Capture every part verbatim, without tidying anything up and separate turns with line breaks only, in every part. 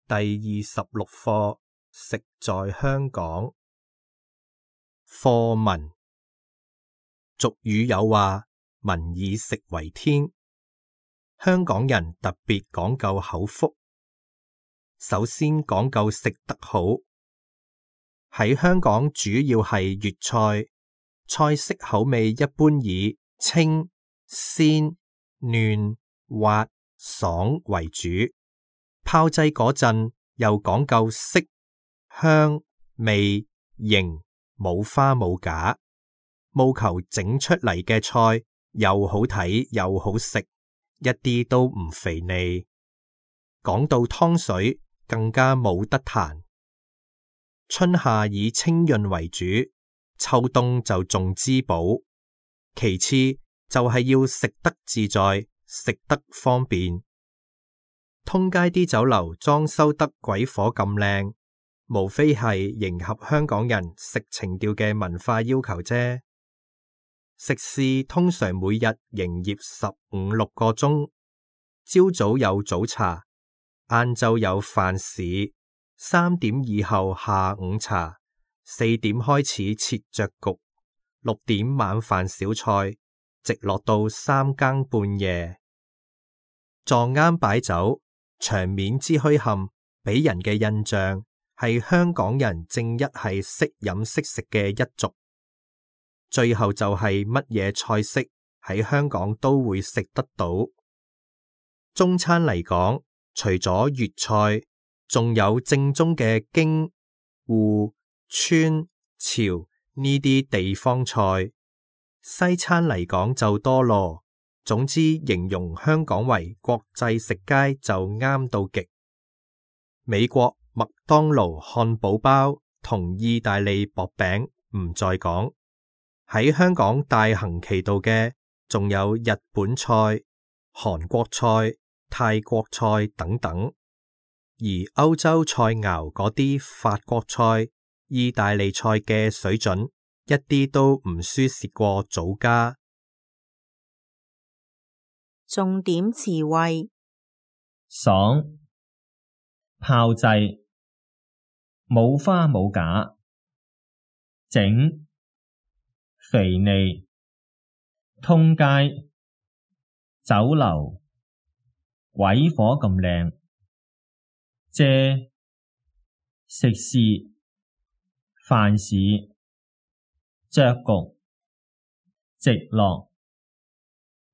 第二十六課，食在香港。課文。俗語有話，民以食為天。香港人特別講究口福，首先講究食得好。喺香港主要係粵菜，菜式口味一般以清、鮮、嫩、滑、爽為主。炮製嗰陣又講究色、香、味、形，冇花冇假，務求整出嚟嘅菜又好睇又好食，一啲都唔肥膩。講到湯水更加冇得彈。春夏以清潤為主，秋冬就重滋補。其次就係要食得自在，食得方便。通街啲酒樓裝修得鬼火咁靚，無非係迎合香港人食情調嘅文化要求啫。食肆通常每日營業十五六個鐘，朝早有早茶，晏晝有飯市，三點以後下午茶，四點開始切着局，六點晚飯小菜，直落到三更半夜。撞啱擺酒，場面之墟冚，俾人嘅印象係香港人正一係識飲識食嘅一族。最後就係乜嘢菜式喺香港都會食得到。中餐嚟講，除咗粵菜，仲有正宗嘅京、滬、川、潮呢啲地方菜。西餐嚟講就多咯。總之形容香港為國際食街就啱到極。美國麥當勞漢堡包同意大利薄餅唔再講，喺香港大行其道嘅仲有日本菜、韓國菜、泰國菜等等。而歐洲菜肴嗰啲法國菜、意大利菜嘅水準一啲都唔輸蝕過祖家。
重點詞彙：
爽、炮製、冇花冇假、整、肥膩、通街、酒樓、鬼火咁靚、借、食肆、飯市、着局、直落、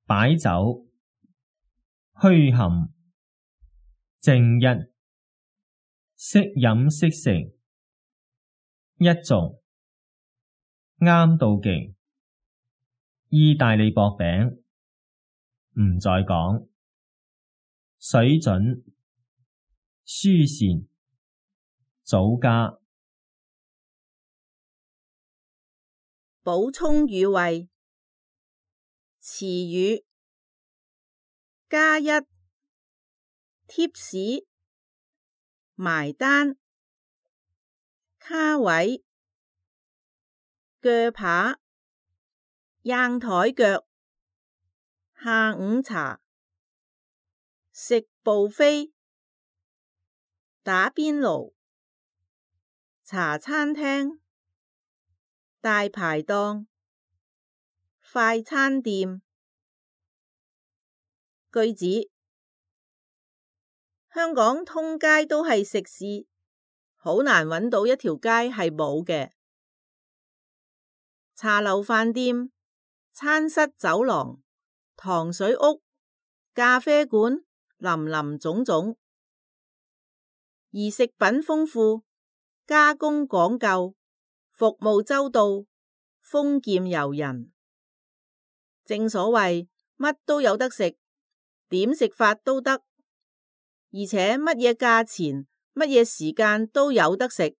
擺酒、墟冚、正一、識飲識食、一族、啱到極、意大利薄餅唔再講、水準、輸蝕、祖家。
補充語彙：詞語加一、貼士、埋單、卡位、鋸扒、硬台腳、下午茶、食 buffet、打邊爐、茶餐廳、大排檔、快餐店。句子：香港通街都係食肆，好難揾到一條街係冇嘅。茶樓飯店、餐室走廊、糖水屋、咖啡館，林林總總。而食品豐富，加工講究，服務周到，豐儉由人。正所謂乜都有得食，點食法都得，而且乜嘢價錢、乜嘢時間都有得食。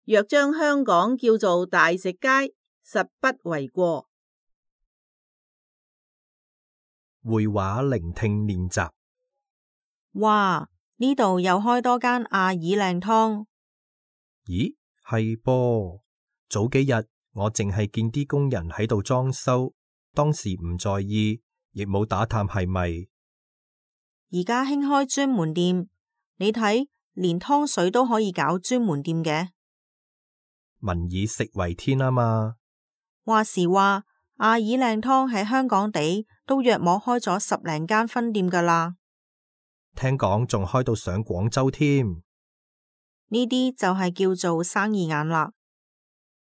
若將香港叫做大食街，實不為過。
會話聆聽練習。
哇！呢度又開多間阿爾靚湯。
咦，係噃。早幾日我淨係見啲工人喺度裝修，當時唔在意，亦冇打探係咪。
而家興開專門店，你睇，連湯水都可以搞專門店嘅。
民以食為天啊嘛。
話時話，阿爾靚湯喺香港地都約莫開咗十零間分店噶啦。
聽講仲開到上廣州添。
呢啲就係叫做生意眼啦。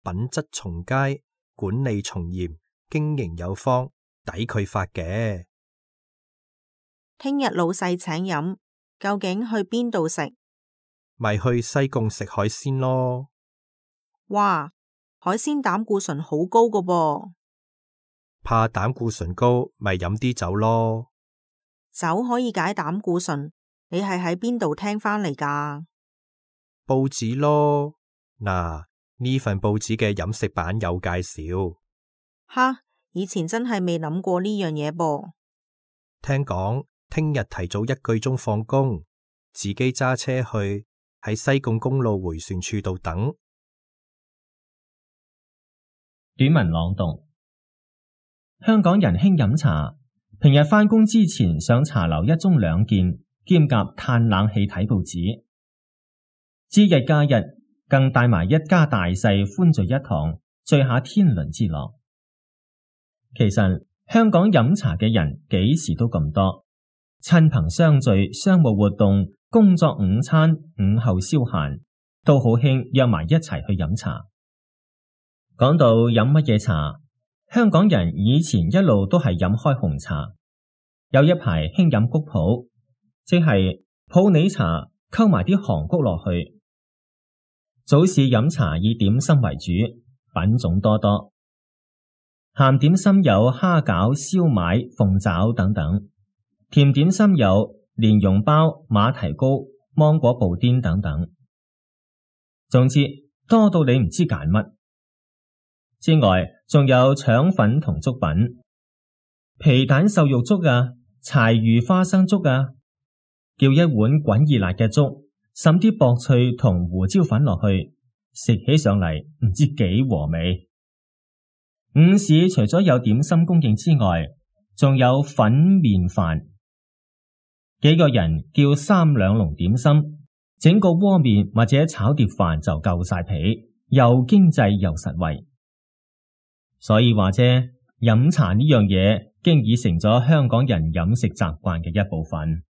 品質從佳，管理從嚴，經營有方，抵佢發嘅。
聽日老細請飲，究竟去邊度食？
咪去西貢食海鮮咯。
哇，海鮮膽固醇好高噶噃。
怕膽固醇高，咪飲啲酒咯。
酒可以解膽固醇，你係喺邊度聽返嚟噶？
報紙咯。嗱，呢份報紙嘅飲食版有介紹。
哈，以前真係未諗過呢樣嘢噃。
聽講聽日提早一個鐘放工，自己揸車去，喺西貢公路迴旋處度等。
短文朗讀：香港人興飲茶，平日返工之前上茶樓一盅兩件，兼夾嘆冷氣睇報紙。節日假日更帶埋一家大細歡聚一堂，聚下天倫之樂。其實香港飲茶嘅人幾時都咁多，親朋相聚、商務活動、工作午餐、午後消閒，都好興約埋一齊去飲茶。講到飲乜嘢茶，香港人以前一路都係飲開紅茶，有一排興飲菊普，即係普洱茶溝埋啲韓菊落去。早市飲茶以點心為主，品種多多。鹹點心有蝦餃、燒賣、鳳爪等等，甜點心有蓮蓉包、馬蹄糕、芒果布甸等等。總之多到你唔知揀乜。之外，仲有腸粉同粥品，皮蛋瘦肉粥啊，柴魚花生粥啊，叫一碗滾熱辣嘅粥，滲啲薄脆同胡椒粉落去，食起上嚟唔知幾和味。午市除咗有點心供應之外，仲有粉麵飯，幾個人叫三兩籠點心，整個鍋麵或者炒碟飯就夠晒皮，又經濟又實惠。所以話啫，飲茶呢樣嘢經已成咗香港人飲食習慣嘅一部分。